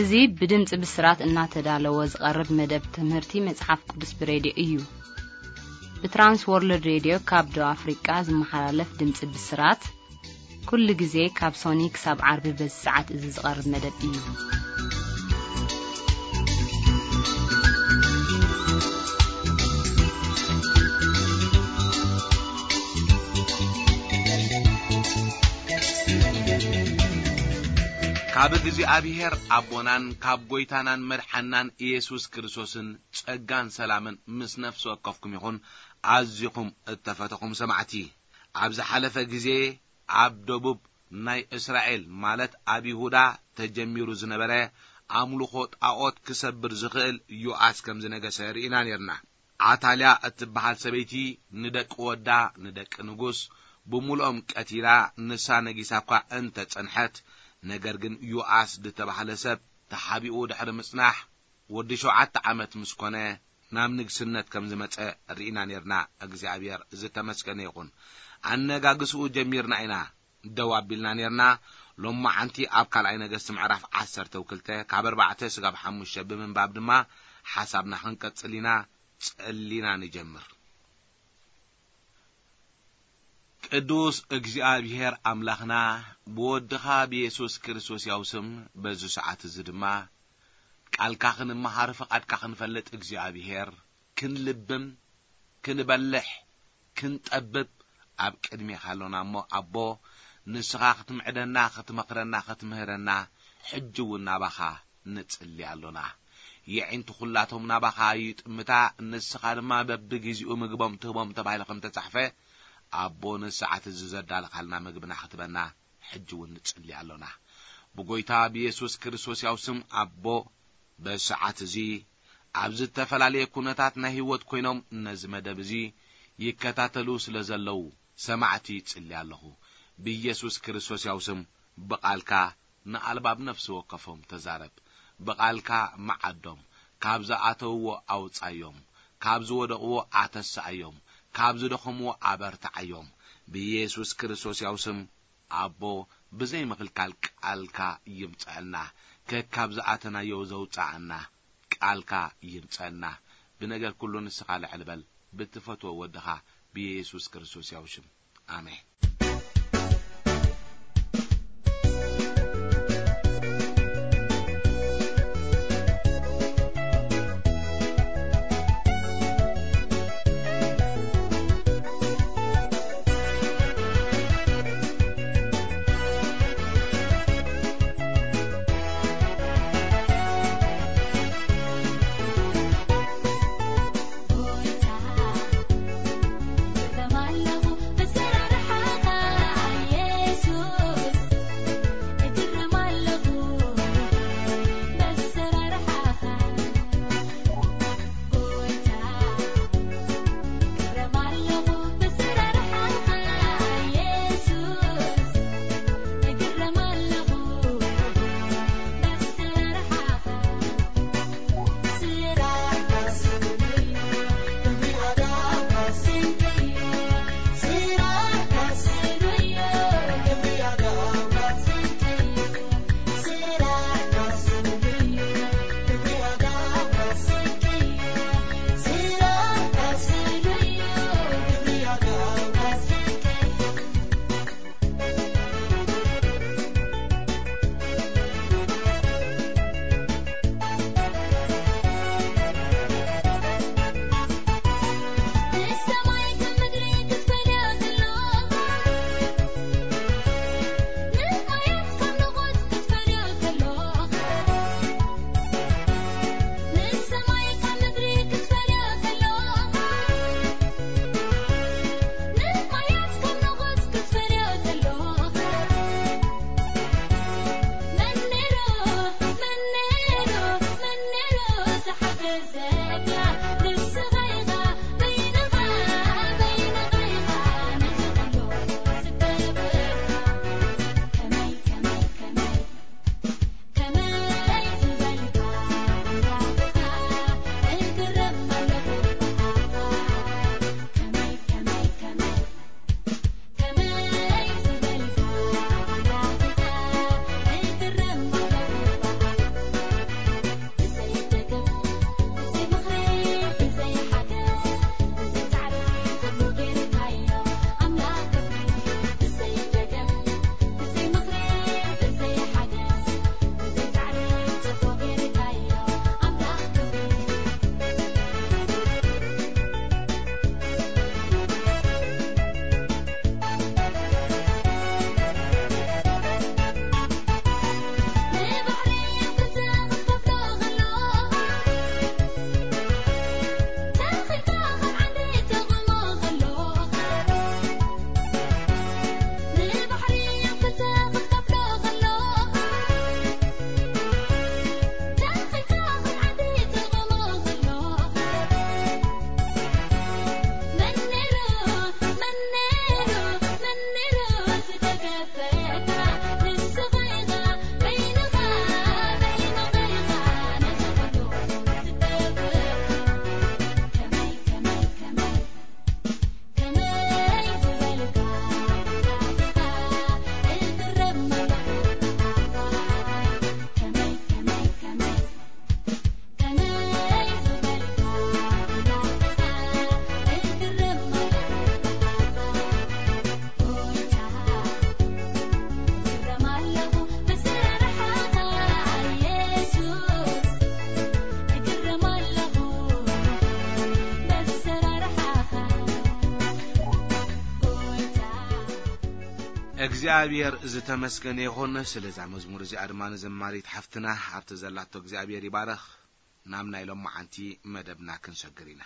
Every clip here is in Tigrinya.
እዚ ብድምጺ ብስራት እናተዳለወ ዝቐርብ መደብ ትምህርቲ መጽሓፍ ቅዱስ ብሬድዮ እዩ። ብትራንስ ወርልድ ሬድዮ ካብ ደቡብ ኣፍሪቃ ዝመሓላለፍ ድምጺ ብስራት፣ ኩሉ ግዜ ካብ ሶኒ ክሳብ ዓርቢ በዚ ሰዓት እዚ ዝቐርብ መደብ እዩ። ካብ እግዚኣብሔር ኣቦናን ካብ ጐይታናን መድሓናን ኢየሱስ ክርስቶስን ጸጋን ሰላምን ምስ ነፍሲ ወከፍኩም ይኹን። ኣዚኹም እተፈተኹም ሰማዕቲ፣ ኣብ ዝሓለፈ ግዜ ኣብ ደቡብ ናይ እስራኤል፣ ማለት ኣብ ይሁዳ ተጀሚሩ ዝነበረ ኣምልኾ ጣዖት ክሰብር ዝኽእል ዮኣስ ከም ዝነገሰ ርኢና ኔርና። ኣታልያ እትበሃል ሰበይቲ ንደቂ ወዳ፣ ንደቂ ንጉስ፣ ብምሉኦም ቀቲላ፣ ንሳ ነጊሳ እኳ እንተ ጸንሐት፣ ነገር ግን ዮኣስ ዝተባህለ ሰብ ተሓቢኡ ድሕሪ ምጽናሕ፣ ወዲ ሸውዓተ ዓመት ምስ ኮነ፣ ናብ ንግስነት ከም ዝመጸ ርኢና ኔርና። እግዚኣብሔር ዝተመስገነ ይኹን። ኣነጋግስኡ ጀሚርና ኢና፣ ደው ኣቢልና ኔርና። ሎማዓንቲ ኣብ ካልኣይ ነገስቲ ምዕራፍ ዓሰርተ ክልተ ካብ ኣርባዕተ ስጋብ ሓሙሽተ ብምንባብ ድማ ሓሳብና ክንቀጽል ኢና። ጸሊና ንጀምር። ቅዱስ እግዚኣብሔር ኣምላኽና፣ ብወድኻ ብየሱስ ክርስቶስ ያው ስም በዚ ሰዓት እዚ ድማ ቃልካ ክንመሃር ፍቓድካ ክንፈልጥ እግዚኣብሔር፣ ክንልብም፣ ክንበልሕ፣ ክንጠብብ ኣብ ቅድሜኻ ኣሎና እሞ፣ ኣቦ፣ ንስኻ ክትምዕደና፣ ክትመኽረና፣ ክትምህረና፣ ሕጂ እውን ናባኻ ንጽሊ ኣሎና። የዒንቲ ኹላቶም ናባኻ ይጥምታ፣ ንስኻ ድማ በብግዜኡ ምግቦም ትህቦም ተባሂሉ ከም ተጻሕፈ፣ ኣቦ፣ ንሰዓት እዚ ዘዳለኻልና ምግብና ክትበና ሕጂ እውን ንጽሊ ኣሎና። ብጎይታ ብየሱስ ክርስቶስ ያው ስም ኣቦ፣ በሰዓት እዚ ኣብ ዝተፈላለየ ኩነታት ናይ ህይወት ኮይኖም ነዚ መደብ እዚ ይከታተሉ ስለ ዘለዉ ሰማዕቲ ይጽሊ ኣለኹ። ብየሱስ ክርስቶስ ያው ስም ብቓልካ ንኣልባብ ነፍሲ ወከፎም ተዛረብ። ብቓልካ መዓዶም፣ ካብ ዝኣተውዎ ኣውጻዮም፣ ካብ ዝወደቕዎ ኣተስኣዮም፣ ካብ ዝደኸምዎ ኣበርትዓዮም። ብየሱስ ክርስቶስ ያው ስም ኣቦ፣ ብዘይ ምኽልካል ቃልካ ይምጸአልና። ከካብ ዝኣተናዮ ዘውጽኣና ቃልካ ይምጸአልና። ብነገር ኩሉ ንስኻ ልዕል በል፣ ብትፈትዎ ወድኻ ብየሱስ ክርስቶስ ያው ሽም። ኣሜን። እግዚኣብሔር ዝተመስገነ ይኹን። ስለዛ መዝሙር እዚኣ ድማ ንዘማሪት ሓፍትና ኣብቲ ዘላቶ እግዚኣብሔር ይባረኽ። ናብ ናይ ሎማዓንቲ መደብና ክንሰግር ኢና።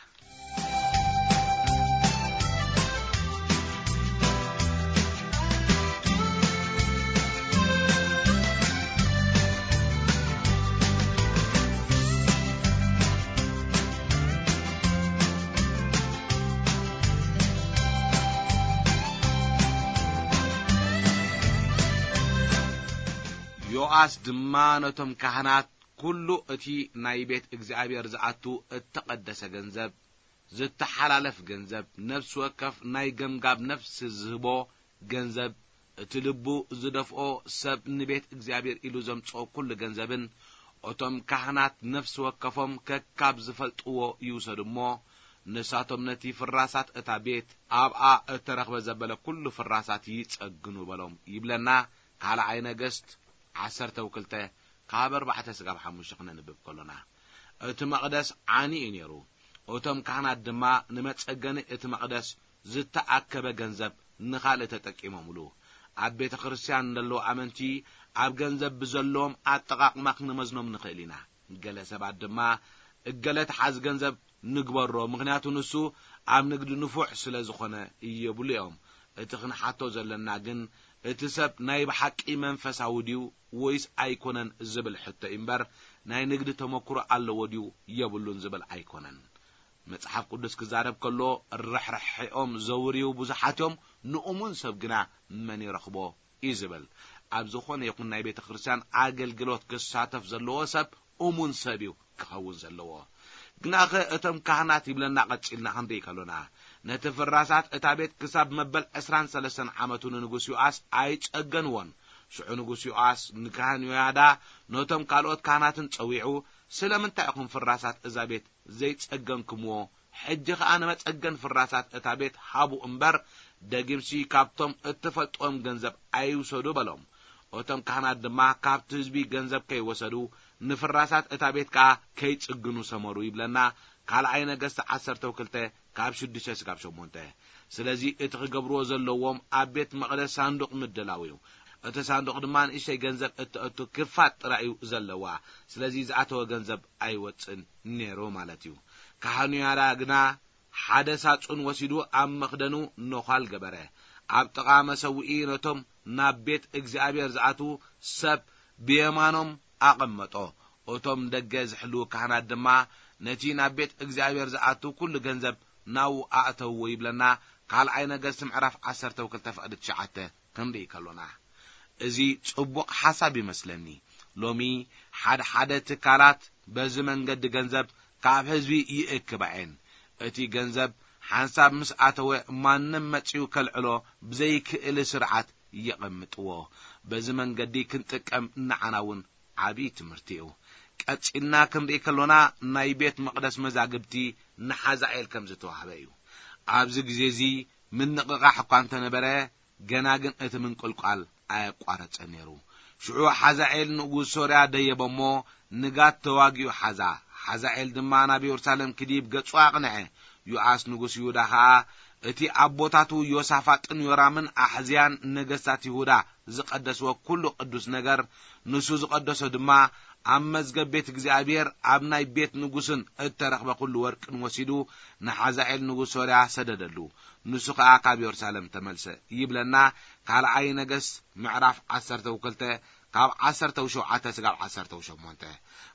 ዮኣስ ድማ ነቶም ካህናት፣ ኩሉ እቲ ናይ ቤት እግዚኣብሔር ዝኣቱ እተቐደሰ ገንዘብ፣ ዝተሓላለፍ ገንዘብ፣ ነፍሲ ወከፍ ናይ ገምጋብ ነፍሲ ዝህቦ ገንዘብ፣ እቲ ልቡ ዝደፍኦ ሰብ ንቤት እግዚኣብሔር ኢሉ ዘምጽኦ ኩሉ ገንዘብን፣ እቶም ካህናት ነፍሲ ወከፎም ከካብ ዝፈልጥዎ ይውሰዱ እሞ፣ ንሳቶም ነቲ ፍራሳት እታ ቤት ኣብኣ እተረኽበ ዘበለ ኩሉ ፍራሳት ይጸግኑ በሎም ይብለና። ካልኣይ ነገስት ዓሰርተ ወክልተ ካብ ኣርባዕተ ስጋብ ሓሙሽተ ክነንብብ ከሎና፣ እቲ መቕደስ ዓኒ እዩ ነይሩ። እቶም ካህናት ድማ ንመጸገኒ እቲ መቕደስ ዝተኣከበ ገንዘብ ንኻልእ ተጠቂሞምሉ። ኣብ ቤተ ክርስቲያን ዘለዉ ኣመንቲ ኣብ ገንዘብ ብዘለዎም ኣጠቓቕማ ክንመዝኖም ንኽእል ኢና። ገለ ሰባት ድማ፣ "እገለ ተሓዝ ገንዘብ ንግበሮ፣ ምኽንያቱ ንሱ ኣብ ንግዲ ንፉዕ ስለ ዝኾነ" ይብሉ እዮም። እቲ ክንሓቶ ዘለና ግን፣ እቲ ሰብ ናይ ብሓቂ መንፈሳዊ ድዩ ወይስ ኣይኮነን ዝብል ሕቶ እዩ እምበር፣ ናይ ንግዲ ተመክሮ ኣለዎ ድዩ የብሉን ዝብል ኣይኮነን። መጽሓፍ ቅዱስ ክዛረብ ከሎ፣ "ርሕርሒኦም ዘውርዩ ብዙሓት እዮም፣ ንእሙን ሰብ ግና መን ይረኽቦ?" እዩ ዝብል። ኣብ ዝኾነ ይኹን ናይ ቤተ ክርስቲያን ኣገልግሎት ክሳተፍ ዘለዎ ሰብ እሙን ሰብ እዩ ክኸውን ዘለዎ። ግናኸ እቶም ካህናት ይብለና ቀጺልና ክንርኢ ከሎና፣ ነቲ ፍራሳት እታ ቤት ክሳብ መበል ዕስራን ሰለስተን ዓመቱ ንንጉስ ዮኣስ ኣይጸገንዎን። ሽዑ ንጉስ ዮኣስ ንካህን ዮያዳ ነቶም ካልኦት ካህናትን ጸዊዑ፣ "ስለምንታይ ኢኹም ፍራሳት እዛ ቤት ዘይጸገንክምዎ? ሕጂ ኸኣ ንመጸገን ፍራሳት እታ ቤት ሃቡ እምበር፣ ደጊምሲ ካብቶም እትፈልጥዎም ገንዘብ ኣይውሰዱ" በሎም። እቶም ካህናት ድማ ካብቲ ህዝቢ ገንዘብ ከይወሰዱ፣ ንፍራሳት እታ ቤት ከኣ ከይጽግኑ ሰመሩ ይብለና። ካልኣይ ነገስት ዓሰርተ ወክልተ ካብ ሽዱሽተ ስጋብ ሸሞንተ። ስለዚ እቲ ክገብርዎ ዘለዎም ኣብ ቤት መቕደስ ሳንዱቕ ምድላው እዩ። እቲ ሳንዱቕ ድማ ንእሽተይ ገንዘብ እተእቱ ክፋት ጥራይ እዩ ዘለዋ። ስለዚ ዝኣተወ ገንዘብ ኣይወጽእን ነይሩ ማለት እዩ። ካህኑ ያዳ ግና ሓደ ሳጹን ወሲዱ ኣብ መኽደኑ ነዃል ገበረ። ኣብ ጥቓ መሰውኢ ነቶም ናብ ቤት እግዚኣብሔር ዝኣትዉ ሰብ ብየማኖም ኣቐመጦ። እቶም ደገ ዝሕልዉ ካህናት ድማ ነቲ ናብ ቤት እግዚኣብሔር ዝኣቱ ኩሉ ገንዘብ ናብኡ ኣእተውዎ ይብለና። ካልኣይ ነገስት ምዕራፍ ዓሰርተ ወክልተ ፍቕዲ ትሽዓተ ክንርኢ ከሎና፣ እዚ ጽቡቕ ሓሳብ ይመስለኒ። ሎሚ ሓደ ሓደ ትካላት በዚ መንገዲ ገንዘብ ካብ ህዝቢ ይእክባ እየን። እቲ ገንዘብ ሓንሳብ ምስ ኣተወ ማንም መጺኡ ከልዕሎ ብዘይክእል ስርዓት የቐምጥዎ። በዚ መንገዲ ክንጥቀም ንዓና እውን ዓብዪ ትምህርቲ እዩ። ቀጺልና ክንርኢ ከሎና ናይ ቤት መቕደስ መዛግብቲ ንሓዛኤል ከም ዝተዋህበ እዩ። ኣብዚ ግዜ እዚ ምንቕቓሕ እኳ እንተነበረ፣ ገና ግን እቲ ምንቅልቋል ኣየቋረጸን ነይሩ። ሽዑ ሓዛኤል ንጉስ ሶርያ ደየበ እሞ ንጋት ተዋጊኡ ሓዛ። ሓዛኤል ድማ ናብ የሩሳሌም ክድይብ ገጹ ኣቕንዐ። ዮኣስ ንጉስ ይሁዳ ኸኣ እቲ ኣቦታቱ ዮሳፋጥን ዮራምን ኣሕዝያን ነገስታት ይሁዳ ዝቐደስዎ ኩሉ ቅዱስ ነገር፣ ንሱ ዝቐደሶ ድማ ኣብ መዝገብ ቤት እግዚኣብሔር ኣብ ናይ ቤት ንጉስን እተረኽበ ኩሉ ወርቅን ወሲዱ ንሓዛኤል ንጉስ ሶርያ ሰደደሉ። ንሱ ኸኣ ካብ የሩሳሌም ተመልሰ ይብለና። ካልኣይ ነገስት ምዕራፍ ዓሰርተ ወክልተ ካብ ዓሰርተ ወሸውዓተ ስጋብ ዓሰርተ ወሸሞንተ።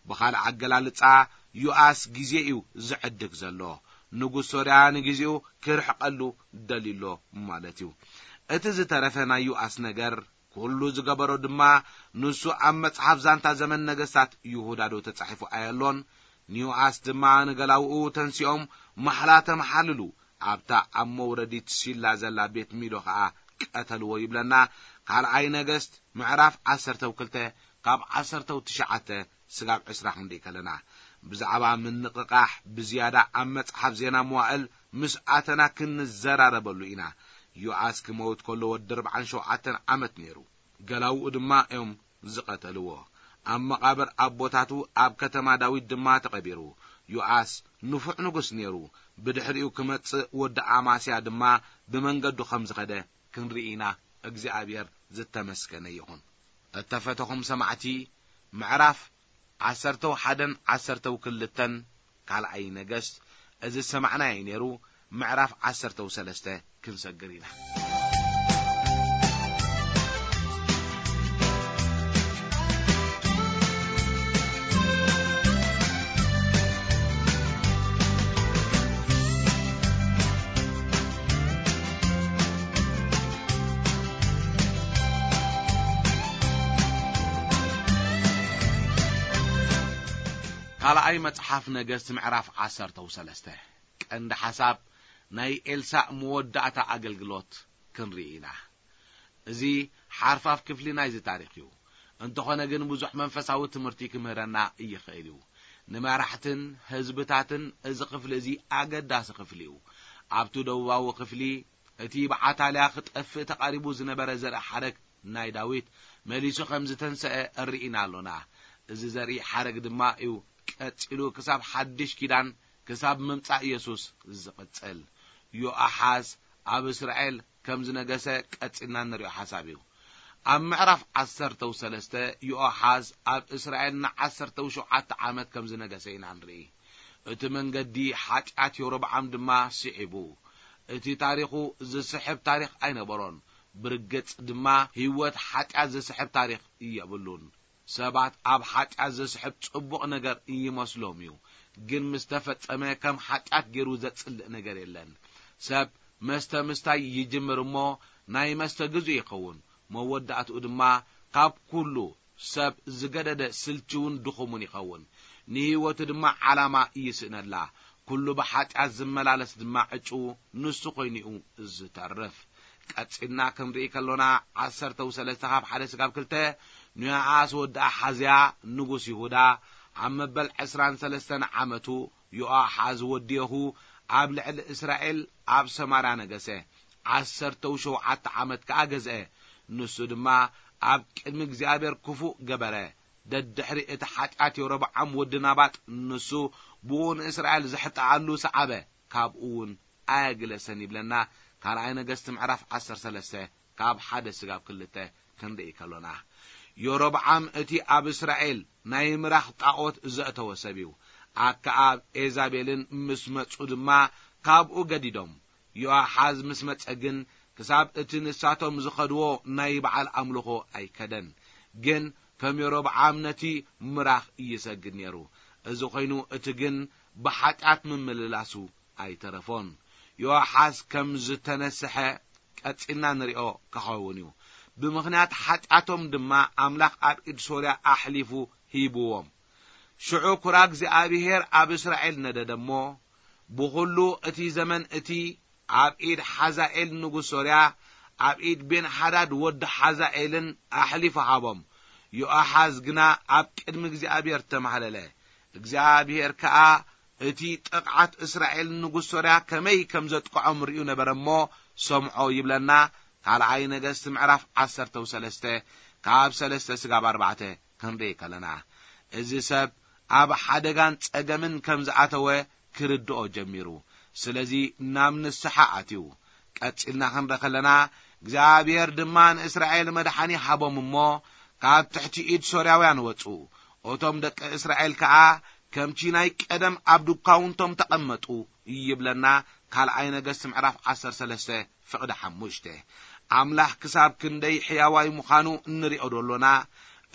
ብኻልእ ኣገላልጻ ዮኣስ ግዜ እዩ ዝዕድግ ዘሎ። ንጉስ ሶርያ ንግዜኡ ክርሕቀሉ ደልዩሎ ማለት እዩ። እቲ ዝተረፈ ናይ ዮኣስ ነገር፣ ኩሉ ዝገበሮ ድማ፣ ንሱ ኣብ መጽሓፍ ዛንታ ዘመን ነገስታት ይሁዳ ዶ ተጻሒፉ ኣየሎን? ንዮኣስ ድማ ንገላውኡ ተንሲኦም ማሕላ ተመሓልሉ፣ ኣብታ ኣብ መውረዲት ሲላ ዘላ ቤት ሚሎ ኸኣ ቀተልዎ ይብለና። ካልኣይ ነገስት ምዕራፍ ዓሰርተ ወክልተ ካብ ዓሰርተ ወትሽዓተ ስጋብ ዕስራ ክንርኢ ከለና፣ ብዛዕባ ምንቕቓሕ ብዝያዳ ኣብ መጽሓፍ ዜና መዋእል ምስ ኣተና ክንዘራረበሉ ኢና። ዮኣስ ክመውት ከሎ ወዲ ኣርብዓን ሸውዓተን ዓመት ነይሩ። ገላውኡ ድማ እዮም ዝቐተልዎ። ኣብ መቓብር ኣቦታቱ ኣብ ከተማ ዳዊት ድማ ተቐቢሩ። ዮኣስ ንፉዕ ንጉስ ነይሩ። ብድሕሪኡ ክመጽእ ወዲ ኣማስያ ድማ ብመንገዱ ከም ዝኸደ ክንርኢ ኢና። እግዚኣብሔር ዝተመስገነ ይኹን። እተፈተኹም ሰማዕቲ፣ ምዕራፍ ዓሰርተው ሓደን ዓሰርተው ክልተን ካልኣይ ነገስት፣ እዚ ዝሰማዕናዮ ነይሩ። ምዕራፍ ዓሰርተው ሰለስተ ክንሰግር ኢና። ካልኣይ መጽሓፍ ነገስት ምዕራፍ ዓሰርተው ሰለስተ። ቀንዲ ሓሳብ ናይ ኤልሳእ መወዳእታ ኣገልግሎት ክንርኢ ኢና። እዚ ሓርፋፍ ክፍሊ ናይዚ ታሪኽ እዩ። እንተኾነ ግን ብዙሕ መንፈሳዊ ትምህርቲ ክምህረና ይኽእል እዩ። ንመራሕትን ህዝብታትን እዚ ክፍሊ እዚ ኣገዳሲ ክፍሊ እዩ። ኣብቲ ደቡባዊ ክፍሊ እቲ ብዓታልያ ክጠፍእ ተቓሪቡ ዝነበረ ዘርኢ ሓረግ ናይ ዳዊት መሊሱ ከም ዝተንሰአ ርኢና ኣሎና። እዚ ዘርኢ ሓረግ ድማ እዩ ቀጺሉ ክሳብ ሓድሽ ኪዳን፣ ክሳብ ምምጻእ የሱስ ዝቕጽል። ዮኣሓዝ ኣብ እስራኤል ከም ዝነገሰ ቀጺልና እንሪኦ ሓሳብ እዩ። ኣብ ምዕራፍ ዓሰርተው ሰለስተ፣ ዮኣሓዝ ኣብ እስራኤል ንዓሰርተው ሸውዓተ ዓመት ከም ዝነገሰ ኢና ንርኢ። እቲ መንገዲ ሓጢኣት የሮብዓም ድማ ስዒቡ። እቲ ታሪኹ ዝስሕብ ታሪኽ ኣይነበሮን። ብርግጽ ድማ ህይወት ሓጢኣት ዝስሕብ ታሪኽ የብሉን። ሰባት ኣብ ሓጢኣት ዘስሕብ ጽቡቕ ነገር ይመስሎም እዩ፣ ግን ምስ ተፈጸመ ከም ሓጢኣት ገይሩ ዘጽልእ ነገር የለን። ሰብ መስተ ምስታይ ይጅምር እሞ ናይ መስተ ግዜ ይኸውን። መወዳእትኡ ድማ ካብ ኩሉ ሰብ ዝገደደ ስልችውን ድኹምን ይኸውን። ንህይወቱ ድማ ዓላማ ይስእነላ። ኩሉ ብሓጢኣት ዝመላለስ ድማ ዕጭኡ ንሱ ኮይኑ እዩ ዝተርፍ። ቀጺልና ክንርኢ ከሎና፣ ዓሰርተው ሰለስተ ካብ ሓደ ስጋብ ክልተ፣ ንዮኣስ ወዲ ኣሓዝያ ንጉስ ይሁዳ ኣብ መበል ዕስራን ሰለስተን ዓመቱ፣ ዮኣሓዝ ወዲ የሁ ኣብ ልዕሊ እስራኤል ኣብ ሰማርያ ነገሰ። ዓሰርተው ሸውዓተ ዓመት ከኣ ገዝአ። ንሱ ድማ ኣብ ቅድሚ እግዚኣብሔር ክፉእ ገበረ። ደድሕሪ እቲ ሓጢኣት የሮብዓም ወዲ ናባጥ፣ ንሱ ብኡ ንእስራኤል ዘሕጥኣሉ ሰዓበ፣ ካብኡ እውን ኣየግለሰን ይብለና ካልኣይ ነገስቲ ምዕራፍ ዓሰርተ ሰለስተ ካብ ሓደ ስጋብ ክልተ ክንርኢ ከሎና። የሮብዓም እቲ ኣብ እስራኤል ናይ ምራኽ ጣዖት ዘእተወ ሰብ እዩ። ኣከኣብ ኤዛቤልን ምስ መጹ ድማ ካብኡ ገዲዶም። ዮኣሓዝ ምስ መጸ ግን ክሳብ እቲ ንሳቶም ዝኸድዎ ናይ በዓል ኣምልኾ ኣይከደን። ግን ከም የሮብዓም ነቲ ምራኽ ይሰግድ ነይሩ። እዚ ኾይኑ እቲ ግን ብሓጢኣት ምምልላሱ ኣይተረፎን። ዮኣሓዝ ከም ዝተነስሐ ቀጺልና ንሪኦ ክኸውን እዩ። ብምኽንያት ሓጢኣቶም ድማ ኣምላኽ ኣብ ኢድ ሶርያ ኣሕሊፉ ሂብዎም። ሽዑ ኩራ እግዚኣብሄር ኣብ እስራኤል ነደደ እሞ፣ ብኹሉ እቲ ዘመን እቲ ኣብ ኢድ ሓዛኤል ንጉስ ሶርያ፣ ኣብ ኢድ ቤንሓዳድ ወዲ ሓዛኤልን ኣሕሊፉ ሃቦም። ዮኣሓዝ ግና ኣብ ቅድሚ እግዚኣብሄር ተማህለለ። እግዚኣብሄር ከኣ እቲ ጥቕዓት እስራኤል ንጉስ ሶርያ ከመይ ከም ዘጥቅዖም ርእዩ ነበረ እሞ ሰምዖ ይብለና። ካልኣይ ነገስት ምዕራፍ ዓሰርተ ሰለስተ ካብ ሰለስተ ስጋብ ኣርባዕተ ክንርኢ ከለና፣ እዚ ሰብ ኣብ ሓደጋን ጸገምን ከም ዝኣተወ ክርድኦ ጀሚሩ። ስለዚ ናብ ንስሓ ኣትዩ። ቀጺልና ክንርኢ ከለና፣ እግዚኣብሔር ድማ ንእስራኤል መድሓኒ ሃቦም እሞ፣ ካብ ትሕቲ ኢድ ሶርያውያን ወጹ። እቶም ደቂ እስራኤል ከኣ ከምቲ ናይ ቀደም ኣብ ድኳውንቶም ተቐመጡ ይብለና። ካልኣይ ነገስት ምዕራፍ ዓሰርተ ሰለስተ ፍቕዲ ሓሙሽተ። ኣምላኽ ክሳብ ክንደይ ሕያዋይ ምዃኑ እንሪኦ ዶ ኣሎና?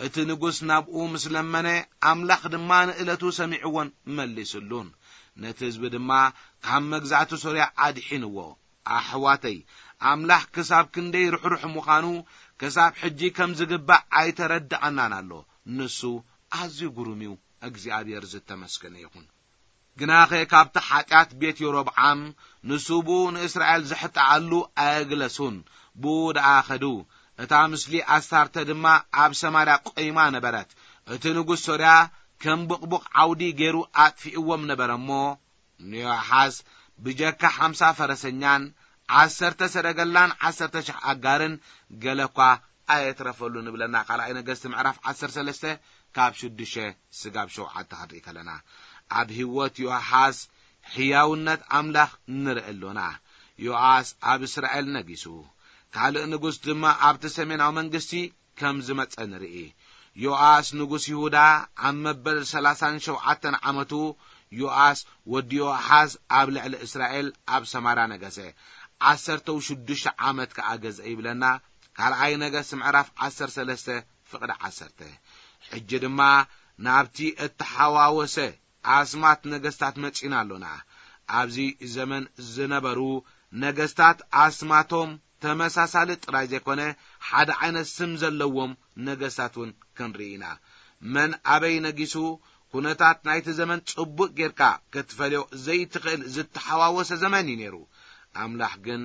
እቲ ንጉስ ናብኡ ምስ ለመነ፣ ኣምላኽ ድማ ንእለቱ ሰሚዕዎን መሊስሉን። ነቲ ህዝቢ ድማ ካብ መግዛእቲ ሶርያ ኣድሒንዎ። ኣሕዋተይ፣ ኣምላኽ ክሳብ ክንደይ ርሕሩሕ ምዃኑ ክሳብ ሕጂ ከም ዝግባእ ኣይተረድኣናን ኣሎ። ንሱ ኣዝዩ ግሩም እዩ። እግዚኣብሔር ዝተመስገነ ይኹን። ግናኸ ካብቲ ሓጢኣት ቤት የሮብዓም ንሱ ብኡ ንእስራኤል ዘሕጥኣሉ ኣየግለሱን። ብኡ ደኣ ኸዱ። እታ ምስሊ ኣስታርተ ድማ ኣብ ሰማርያ ቆይማ ነበረት። እቲ ንጉስ ሶርያ ከም ብቕቡቕ ዓውዲ ገይሩ ኣጥፊእዎም ነበረ እሞ፣ ንዮኣሓዝ ብጀካ ሓምሳ ፈረሰኛን ዓሰርተ ሰረገላን ዓሰርተ ሽሕ ኣጋርን ገለ እኳ ኣየትረፈሉን ይብለና። ካልኣይ ነገስቲ ምዕራፍ ዓሰርተ ሰለስተ ካብ ሽዱሽተ ስጋብ ሸውዓተ ክንርኢ ከለና፣ ኣብ ህይወት ዮኣሓዝ ሕያውነት ኣምላኽ ንርኢ ኣሎና። ዮኣስ ኣብ እስራኤል ነጊሱ። ካልእ ንጉስ ድማ ኣብቲ ሰሜናዊ መንግስቲ ከም ዝመጸ ንርኢ። ዮኣስ ንጉስ ይሁዳ ኣብ መበል ሰላሳን ሸውዓተን ዓመቱ፣ ዮኣስ ወዲ ዮኣሓዝ ኣብ ልዕሊ እስራኤል ኣብ ሰማርያ ነገሰ። ዓሰርተ ሽዱሽተ ዓመት ከኣ ገዝአ ይብለና። ካልኣይ ነገስት ምዕራፍ ዓሰርተ ሰለስተ ፍቕዲ ዓሰርተ። ሕጂ ድማ ናብቲ እተሓዋወሰ ኣስማት ነገስታት መጺና ኣሎና። ኣብዚ ዘመን ዝነበሩ ነገስታት ኣስማቶም ተመሳሳሊ ጥራይ ዘይኮነ፣ ሓደ ዓይነት ስም ዘለዎም ነገስታት እውን ክንርኢ ኢና። መን ኣበይ ነጊሱ፣ ኩነታት ናይቲ ዘመን ጽቡቕ ጌርካ ክትፈልዮ ዘይትኽእል ዝተሓዋወሰ ዘመን እዩ ነይሩ። ኣምላኽ ግን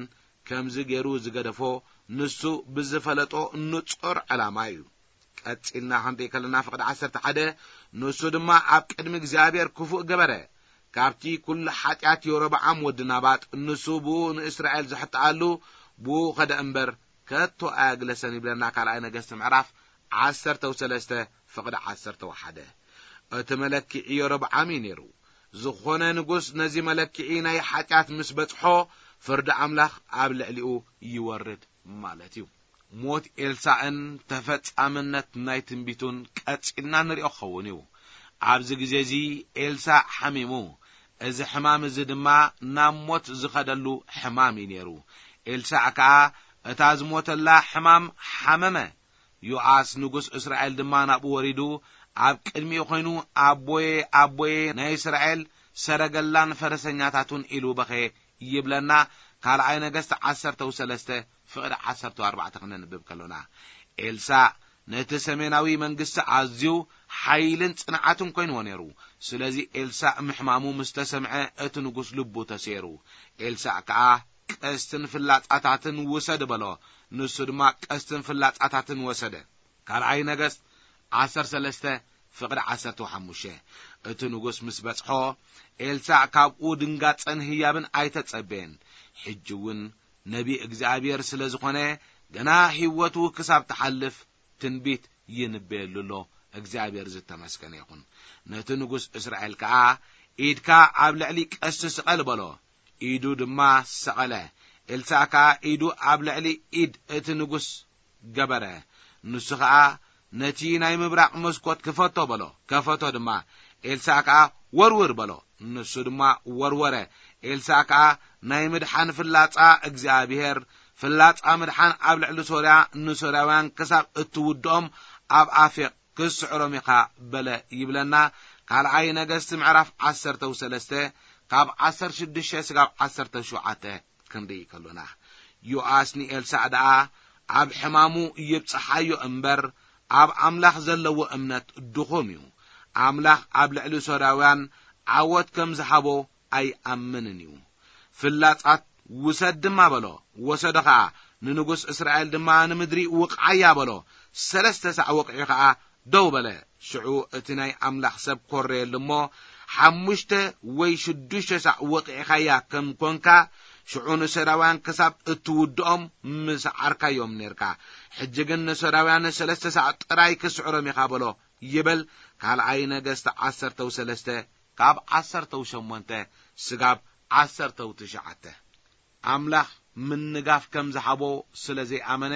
ከምዚ ገይሩ ዝገደፎ ንሱ ብዝፈለጦ ንጹር ዕላማ እዩ። ቀጺልና ክንርኢ ከለና ፍቕዲ ዓሰርተ ሓደ፣ ንሱ ድማ ኣብ ቅድሚ እግዚኣብሔር ክፉእ ገበረ። ካብቲ ኩሉ ሓጢኣት የሮብዓም ወዲ ናባጥ፣ ንሱ ብኡ ንእስራኤል ዘሕጥኣሉ፣ ብኡ ኸደ እምበር ከቶ ኣያግለሰን ይብለና ካልኣይ ነገስቲ ምዕራፍ ዓሰርተ ሰለስተ ፍቕዲ ዓሰርተ ሓደ። እቲ መለክዒ የሮብዓም እዩ ነይሩ። ዝኾነ ንጉስ ነዚ መለክዒ ናይ ሓጢኣት ምስ በጽሖ፣ ፍርዲ ኣምላኽ ኣብ ልዕሊኡ ይወርድ ማለት እዩ። ሞት ኤልሳእን ተፈጻምነት ናይ ትንቢቱን ቀጺልና ንሪኦ ክኸውን እዩ። ኣብዚ ግዜ እዚ ኤልሳእ ሓሚሙ። እዚ ሕማም እዚ ድማ ናብ ሞት ዝኸደሉ ሕማም እዩ ነይሩ። ኤልሳእ ከኣ እታ ዝሞተላ ሕማም ሓመመ። ዮኣስ ንጉስ እስራኤል ድማ ናብኡ ወሪዱ ኣብ ቅድሚኡ ኮይኑ፣ "ኣቦየ፣ ኣቦየ፣ ናይ እስራኤል ሰረገላን ፈረሰኛታቱን" ኢሉ በኸየ ይብለና። ካልኣይ ነገስት ዓሰርተ ሰለስተ ፍቕዲ ዓሰርተ ኣርባዕተ ክነንብብ ከሎና፣ ኤልሳእ ነቲ ሰሜናዊ መንግስቲ ኣዝዩ ሓይልን ጽንዓትን ኮይንዎ ነይሩ። ስለዚ ኤልሳእ ምሕማሙ ምስ ተሰምዐ፣ እቲ ንጉስ ልቡ ተሰይሩ። ኤልሳእ ከኣ፣ "ቀስትን ፍላጻታትን ውሰድ" በሎ። ንሱ ድማ ቀስትን ፍላጻታትን ወሰደ። ካልኣይ ነገስት ዓሰርተ ሰለስተ ፍቕዲ ዓሰርተ ሓሙሽተ። እቲ ንጉስ ምስ በጽሖ፣ ኤልሳእ ካብኡ ድንጋጸን ህያብን ኣይተጸበየን። ሕጂ እውን ነቢ እግዚኣብሔር ስለ ዝኾነ፣ ገና ህይወቱ ክሳብ ትሓልፍ ትንቢት ይንበየሉ ኣሎ። እግዚኣብሔር ዝተመስገነ ይኹን። ነቲ ንጉስ እስራኤል ከኣ፣ "ኢድካ ኣብ ልዕሊ ቀስቲ ስቐል" በሎ። ኢዱ ድማ ሰቐለ። ኤልሳእ ከኣ ኢዱ ኣብ ልዕሊ ኢድ እቲ ንጉስ ገበረ። ንሱ ኸኣ፣ "ነቲ ናይ ምብራቕ መስኮት ክፈቶ" በሎ። ከፈቶ ድማ። ኤልሳእ ከኣ፣ "ወርውር" በሎ። ንሱ ድማ ወርወረ። ኤልሳእ ከኣ፣ "ናይ ምድሓን ፍላጻ እግዚኣብሔር፣ ፍላጻ ምድሓን ኣብ ልዕሊ ሶርያ፣ ንሶርያውያን ክሳብ እትውድኦም ኣብ ኣፌቅ ክስዕሮም ኢኻ" በለ ይብለና። ካልኣይ ነገስት ምዕራፍ ዓሰርተ ሰለስተ ካብ ዓሰርተ ሽዱሽተ ስጋብ ዓሰርተ ሸውዓተ ክንርኢ ከሎና፣ ዮኣስ ንኤልሳዕ ደኣ ኣብ ሕማሙ ይብጽሓዮ እምበር፣ ኣብ ኣምላኽ ዘለዎ እምነት ድኹም እዩ። ኣምላኽ ኣብ ልዕሊ ሶርያውያን ዓወት ከም ዝሃቦ ኣይኣምንን እዩ። "ፍላጻት ውሰድ" ድማ በሎ። ወሰዶ ኸኣ። ንንጉስ እስራኤል ድማ፣ "ንምድሪ ውቕዓያ" በሎ። ሰለስተ ሳዕ ወቒዑ ኸኣ ደው በለ። ሽዑ እቲ ናይ ኣምላኽ ሰብ ኮረየሉ እሞ፣ "ሓሙሽተ ወይ ሽዱሽተ ሳዕ ወቒዕኻያ ከም ኮንካ፣ ሽዑ ንሶርያውያን ክሳብ እትውድኦም ምስዓርካዮም ኔርካ። ሕጂ ግን ንሶርያውያን ሰለስተ ሳዕ ጥራይ ክስዕሮም ኢኻ" በሎ ይብል። ካልኣይ ነገስት ዓሰርተ ሰለስተ ካብ ዓሰርተ ሸሞንተ ስጋብ ዓሰርተ ትሽዓተ። ኣምላኽ ምንጋፍ ከም ዝሃቦ ስለ ዘይኣመነ፣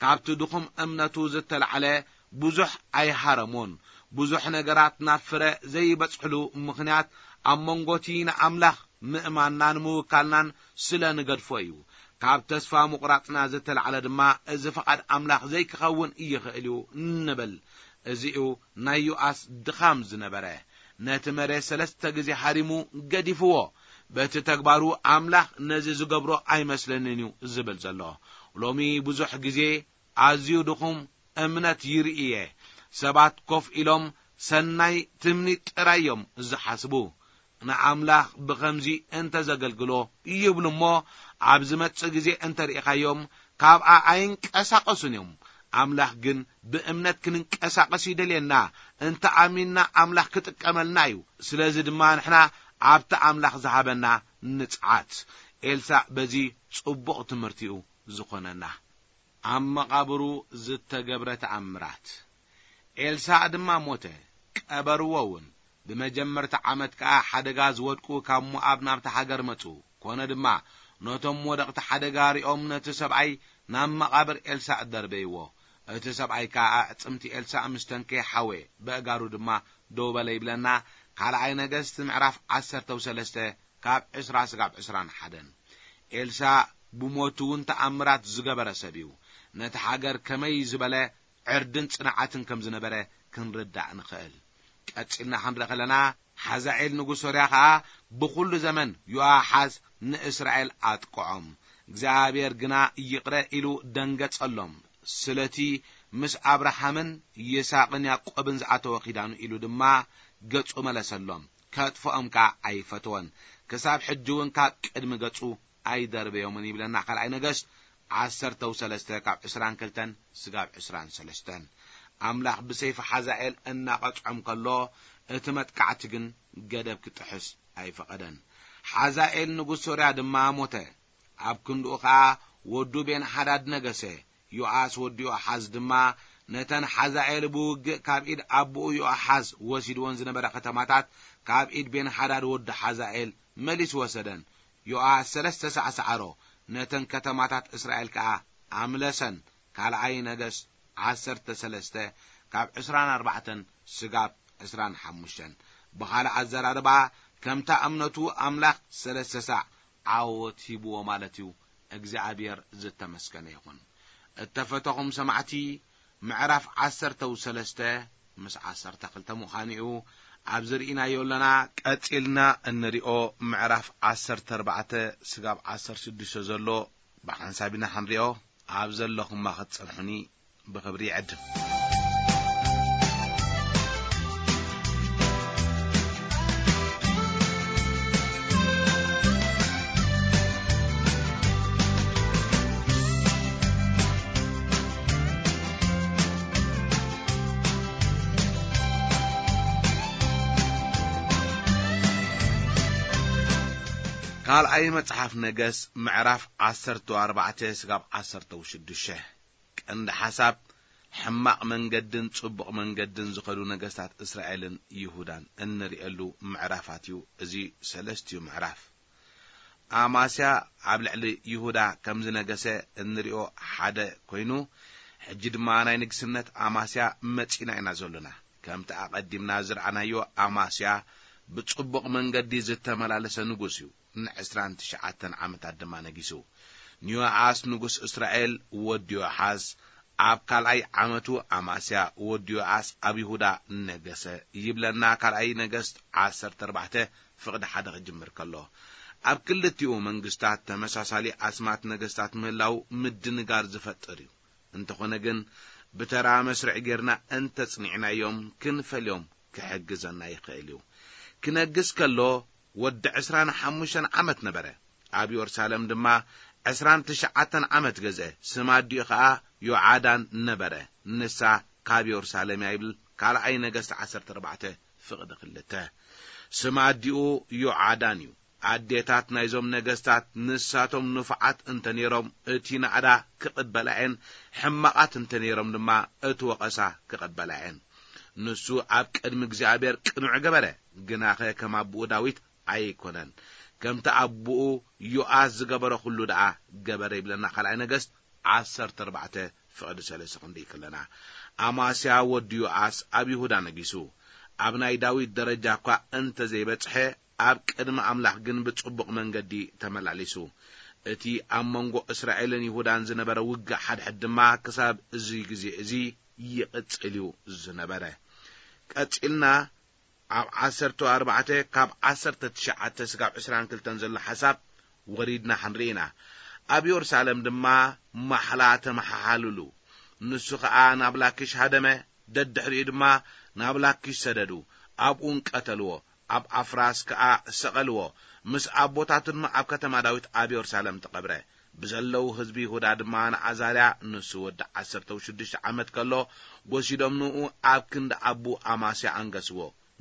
ካብቲ ድኹም እምነቱ ዝተላዕለ ብዙሕ ኣይሃረሞን። ብዙሕ ነገራት ናብ ፍረ ዘይበጽሕሉ ምኽንያት፣ ኣብ መንጎ እቲ ንኣምላኽ ምእማንናን ምውካልናን ስለ ንገድፎ እዩ። ካብ ተስፋ ምቑራጽና ዝተላዕለ ድማ፣ እዚ ፍቓድ ኣምላኽ ዘይክኸውን ይኽእል እዩ ንብል። እዚ እዩ ናይ ዮኣስ ድኻም ዝነበረ። ነቲ መሬት ሰለስተ ግዜ ሃሪሙ ገዲፍዎ። በቲ ተግባሩ ኣምላኽ ነዚ ዝገብሮ ኣይመስለንን እዩ ዝብል ዘሎ። ሎሚ ብዙሕ ግዜ ኣዝዩ ድኹም እምነት ይርኢ እየ። ሰባት ኮፍ ኢሎም ሰናይ ትምኒት ጥራይ እዮም ዝሓስቡ። ንኣምላኽ ብኸምዚ እንተ ዘገልግሎ ይብሉ እሞ፣ ኣብ ዝመጽእ ግዜ እንተ ርኢኻዮም፣ ካብኣ ኣይንቀሳቐሱን እዮም። ኣምላኽ ግን ብእምነት ክንንቀሳቐስ ይደልየና። እንተ ኣሚንና፣ ኣምላኽ ክጥቀመልና እዩ። ስለዚ ድማ ንሕና ኣብቲ ኣምላኽ ዝሃበና ንጽዓት። ኤልሳዕ በዚ ጽቡቕ ትምህርቲ እዩ ዝኾነና። ኣብ መቓብሩ ዝተገብረ ተኣምራት። ኤልሳዕ ድማ ሞተ፣ ቀበርዎ እውን። ብመጀመርታ ዓመት ከኣ ሓደጋ ዝወድቁ ካብ ሞኣብ ናብታ ሃገር መጹ። ኮነ ድማ፣ ነቶም ወደቕቲ ሓደጋ ሪኦም ነቲ ሰብኣይ ናብ መቓብር ኤልሳእ ደርበይዎ። እቲ ሰብኣይ ከኣ ኣዕጽምቲ ኤልሳእ ምስ ተንከየ ሓወየ፣ በእጋሩ ድማ ደው በለ ይብለና። ካልኣይ ነገስት ምዕራፍ ዓሰርተ ሰለስተ ካብ ዕስራ ስጋብ ዕስራን ሓደን። ኤልሳእ ብሞቱ እውን ተኣምራት ዝገበረ ሰብ እዩ። ነቲ ሃገር ከመይ ዝበለ ዕርድን ጽንዓትን ከም ዝነበረ ክንርዳእ ንኽእል። ቀጺልና ክንርኢ ከለና፣ ሓዛኤል ንጉስ ሶርያ ኸኣ ብኹሉ ዘመን ዮኣሓዝ ንእስራኤል ኣጥቅዖም። እግዚኣብሔር ግና ይቕረ ኢሉ ደንገጸሎም። ስለቲ ምስ ኣብርሃምን ይስሐቅን ያዕቆብን ዝኣተወ ኺዳኑ ኢሉ ድማ ገጹ መለሰሎም። ከጥፍኦም ከኣ ኣይፈተወን። ክሳብ ሕጂ እውን ካብ ቅድሚ ገጹ ኣይደርበዮምን ይብለና ካልኣይ ነገስት ዓሰርተ ሰለስተ ካብ ዕስራን ክልተን ስጋብ ዕስራን ሰለስተን። ኣምላኽ ብሰይፊ ሓዛኤል እናቐጽዖም ከሎ፣ እቲ መጥቃዕቲ ግን ገደብ ክጥሕስ ኣይፈቐደን። ሓዛኤል ንጉስ ሶርያ ድማ ሞተ። ኣብ ክንድኡ ኸኣ ወዱ ቤንሓዳድ ነገሰ። ዮኣስ ወዲ ዮኣሓዝ ድማ ነተን ሓዛኤል ብውግእ ካብ ኢድ ኣቦኡ ዮኣሓዝ ወሲድወን ዝነበረ ከተማታት ካብ ኢድ ቤንሓዳድ ወዲ ሓዛኤል መሊሱ ወሰደን። ዮኣስ ሰለስተ ሳዕ ሰዓሮ፣ ነተን ከተማታት እስራኤል ከኣ ኣምለሰን። ካልኣይ ነገስት ዓሰርተ ሰለስተ ካብ ዕስራን ኣርባዕተን ስጋብ ዕስራን ሓሙሽተን። ብኻልእ ኣዘራርባ፣ ከምታ እምነቱ ኣምላኽ ሰለስተ ሳዕ ዓወት ሂብዎ ማለት እዩ። እግዚኣብሔር ዝተመስገነ ይኹን። እተፈተኹም ሰማዕቲ፣ ምዕራፍ ዓሰርተ ሰለስተ ምስ ዓሰርተ ክልተ ምዃኑ እዩ። ኣብዚ ርኢናዮ ኣለና። ቀጺልና እንሪኦ ምዕራፍ ዓሰርተ ኣርባዕተ ስጋብ ዓሰርተ ሽዱሽተ ዘሎ ብሓንሳብ ኢና ክንሪኦ። ኣብ ዘለኹማ ክትጸንሑኒ ብኽብሪ ይዕድም። ካልኣይ መጽሓፍ ነገስ ምዕራፍ ዓሰርተ ኣርባዕተ ስጋብ ዓሰርተ ሽዱሽተ። ቀንዲ ሓሳብ፣ ሕማቕ መንገድን ጽቡቕ መንገድን ዝኸዱ ነገስታት እስራኤልን ይሁዳን እንርእየሉ ምዕራፋት እዩ። እዚ ሰለስቲኡ ምዕራፍ። ኣማስያ ኣብ ልዕሊ ይሁዳ ከም ዝነገሰ እንርእዮ ሓደ ኮይኑ፣ ሕጂ ድማ ናይ ንግስነት ኣማስያ መጺና ኢና ዘሎና። ከምቲ ኣቐዲምና ዝረኣናዮ፣ ኣማስያ ብጽቡቕ መንገዲ ዝተመላለሰ ንጉስ እዩ። ንዕስራን ትሽዓተን ዓመታት ድማ ነጊሱ። ንዮኣስ ንጉስ እስራኤል ወዲ ዮኣሓዝ ኣብ ካልኣይ ዓመቱ፣ ኣማስያ ወዲ ዮኣስ ኣብ ይሁዳ ነገሰ ይብለና። ካልኣይ ነገስት ዓሰርተ ኣርባዕተ ፍቕዲ ሓደ ክጅምር ከሎ፣ ኣብ ክልቲኡ መንግስታት ተመሳሳሊ ኣስማት ነገስታት ምህላው ምድንጋር ዝፈጥር እዩ። እንተኾነ ግን፣ ብተራ መስርዕ ጌርና እንተጽኒዕናዮም፣ ክንፈልዮም ክሕግዘና ይኽእል እዩ። ክነግስ ከሎ፣ ወዲ ዕስራን ሓሙሽተን ዓመት ነበረ። ኣብ የሩሳሌም ድማ ዕስራን ትሽዓተን ዓመት ገዝአ። ስም ኣዲኡ ኸኣ ዮዓዳን ነበረ። ንሳ ካብ የሩሳሌም እያ ይብል ካልኣይ ነገስት ዓሰርተ ኣርባዕተ ፍቕዲ ክልተ። ስም ኣዲኡ ዮዓዳን እዩ። ኣዴታት ናይዞም ነገስታት ንሳቶም ንፉዓት እንተ ነይሮም፣ እቲ ናእዳ ክቕበላ እየን፣ ሕማቓት እንተ ነይሮም ድማ እቲ ወቐሳ ክቕበላ እየን። ንሱ ኣብ ቅድሚ እግዚኣብሔር ቅኑዕ ገበረ፣ ግናኸ ከም ኣቦኡ ዳዊት ኣይኮነን። ከምቲ ኣቦኡ ዮኣስ ዝገበረ ኩሉ ደኣ ገበረ ይብለና ካልኣይ ነገስት ዓሰርተ ኣርባዕተ ፍቕዲ ሰለስተ ክንርኢ ከለና። ኣማስያ ወዲ ዮኣስ ኣብ ይሁዳ ነጊሱ። ኣብ ናይ ዳዊት ደረጃ እኳ እንተ ዘይበጽሐ፣ ኣብ ቅድሚ ኣምላኽ ግን ብጽቡቕ መንገዲ ተመላሊሱ። እቲ ኣብ መንጎ እስራኤልን ይሁዳን ዝነበረ ውግእ ሓድሕድ ድማ ክሳብ እዚ ግዜ እዚ ይቕጽል እዩ ዝነበረ። ቀጺልና ኣብ ዓሰርተ ኣርባዕተ ካብ ዓሰርተ ትሽዓተ ስጋብ ዕስራን ክልተን ዘሎ ሓሳብ ወሪድና ክንርኢ ኢና። ኣብ የሩሳሌም ድማ ማሕላ ተመሓሓሉሉ። ንሱ ኸኣ ናብ ላኪሽ ሃደመ፣ ደድሕሪኡ ድማ ናብ ላኪሽ ሰደዱ፣ ኣብኡን ቀተልዎ፣ ኣብ ኣፍራስ ከኣ ሰቐልዎ። ምስ ኣቦታቱ ድማ ኣብ ከተማ ዳዊት ኣብ የሩሳሌም ተቐብረ። ብዘለዉ ህዝቢ ይሁዳ ድማ ንዓዛርያ፣ ንሱ ወዲ ዓሰርተ ሽዱሽተ ዓመት ከሎ፣ ወሲዶም ንኡ ኣብ ክንዲ ኣቡ ኣማስያ ኣንገስዎ።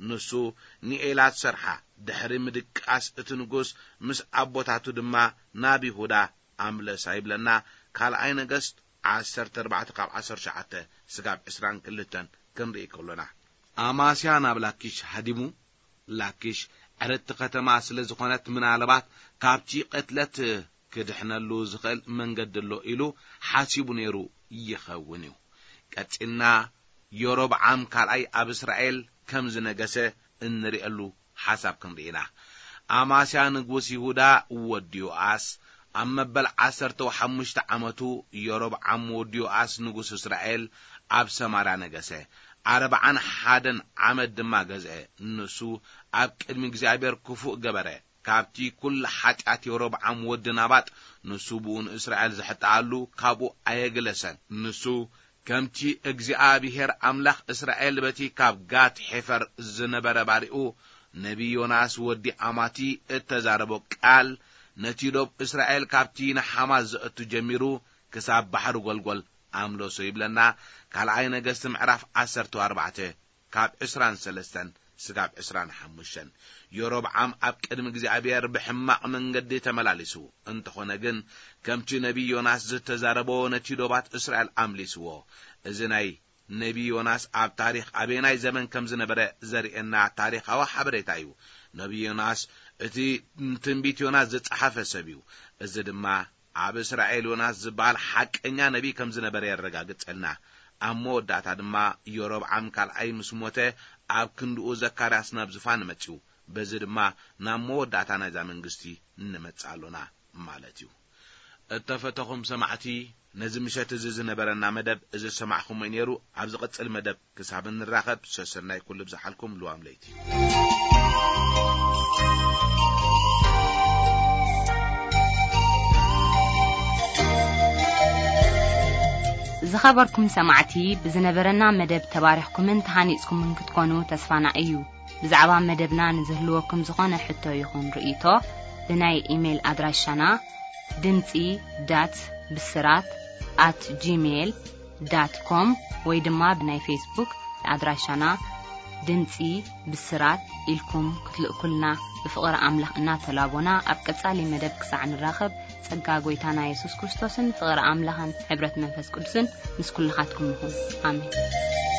ንሱ ንኤላት ሰርሓ። ድሕሪ ምድቃስ እቲ ንጉስ ምስ ኣቦታቱ ድማ ናብ ይሁዳ ኣምለሳ ይብለና ካልኣይ ነገስት ዓሰርተ ኣርባዕተ ካብ ዓሰርተ ትሽዓተ ስጋብ ዕስራን ክልተን ክንርኢ ከሎና። ኣማስያ ናብ ላኪሽ ሃዲሙ። ላኪሽ ዕርድቲ ከተማ ስለ ዝኾነት፣ ምናልባት ካብቲ ቅትለት ክድሕነሉ ዝኽእል መንገዲ ኣሎ ኢሉ ሓሲቡ ነይሩ ይኸውን እዩ። ቀጺልና የሮብዓም ካልኣይ ኣብ እስራኤል ከም ዝነገሰ እንርእየሉ ሓሳብ ክንርኢ ኢና። ኣማስያ ንጉስ ይሁዳ ወዲ ዮኣስ ኣብ መበል ዓሰርተ ሓሙሽተ ዓመቱ፣ የሮብዓም ወዲ ዮኣስ ንጉስ እስራኤል ኣብ ሰማርያ ነገሰ። ኣርብዓን ሓደን ዓመት ድማ ገዝአ። ንሱ ኣብ ቅድሚ እግዚኣብሔር ክፉእ ገበረ። ካብቲ ኩሉ ሓጢኣት የሮብዓም ወዲ ናባጥ፣ ንሱ ብኡ ንእስራኤል ዘሕጥኣሉ ካብኡ ኣየግለሰን። ንሱ ከምቲ እግዚኣብሔር ኣምላኽ እስራኤል በቲ ካብ ጋት ሔፈር ዝነበረ ባሪኡ ነቢ ዮናስ ወዲ ኣማቲ እተዛረቦ ቃል፣ ነቲ ዶብ እስራኤል ካብቲ ንሓማት ዘእቱ ጀሚሩ ክሳብ ባሕሪ ጐልጐል ኣምለሶ ይብለና። ካልኣይ ነገስቲ ምዕራፍ ዓሰርተ ኣርባዕተ ካብ ዕስራን ሰለስተን ስጋብ ዕስራን ሓሙሽተን። የሮብዓም ኣብ ቅድሚ እግዚኣብሔር ብሕማቕ መንገዲ ተመላሊሱ። እንተኾነ ግን፣ ከምቲ ነቢ ዮናስ ዝተዛረቦ ነቲ ዶባት እስራኤል ኣምሊስዎ። እዚ ናይ ነቢ ዮናስ ኣብ ታሪኽ ኣበየናይ ዘመን ከም ዝነበረ ዘርእየና ታሪኻዊ ሓበሬታ እዩ። ነቢ ዮናስ እቲ ትንቢት ዮናስ ዝጸሓፈ ሰብ እዩ። እዚ ድማ ኣብ እስራኤል ዮናስ ዝበሃል ሓቀኛ ነቢ ከም ዝነበረ የረጋግጸልና። ኣብ መወዳእታ ድማ የሮብዓም ካልኣይ ምስ ሞተ፣ ኣብ ክንድኡ ዘካርያስ ናብ ዝፋን መጺኡ። በዚ ድማ ናብ መወዳእታ ናይዛ መንግስቲ ንመጽእ ኣሎና ማለት እዩ። እተፈተኹም ሰማዕቲ፣ ነዚ ምሸት እዚ ዝነበረና መደብ እዚ ዝሰማዕኹሞ እዩ ነይሩ። ኣብ ዝቕጽል መደብ ክሳብ እንራኸብ፣ ሰሰናይ ኩሉ ብዝሓልኩም ልዋም ለይቲ። ዝኸበርኩም ሰማዕቲ፣ ብዝነበረና መደብ ተባሪኽኩምን ተሃኒጽኩምን ክትኮኑ ተስፋና እዩ። ብዛዕባ መደብና ንዝህልወኩም ዝኾነ ሕቶ ይኹን ርእይቶ፣ ብናይ ኢሜይል ኣድራሻና ድምጺ ዳት ብስራት ኣት ጂሜይል ዳት ኮም ወይ ድማ ብናይ ፌስቡክ ኣድራሻና ድምጺ ብስራት ኢልኩም ክትልእኩልና ብፍቕሪ ኣምላኽ እናተላቦና፣ ኣብ ቀጻሊ መደብ ክሳዕ ንራኸብ፣ ጸጋ ጐይታና የሱስ ክርስቶስን ፍቕሪ ኣምላኽን ሕብረት መንፈስ ቅዱስን ምስ ኩልኻትኩም ይኹን። ኣሜን።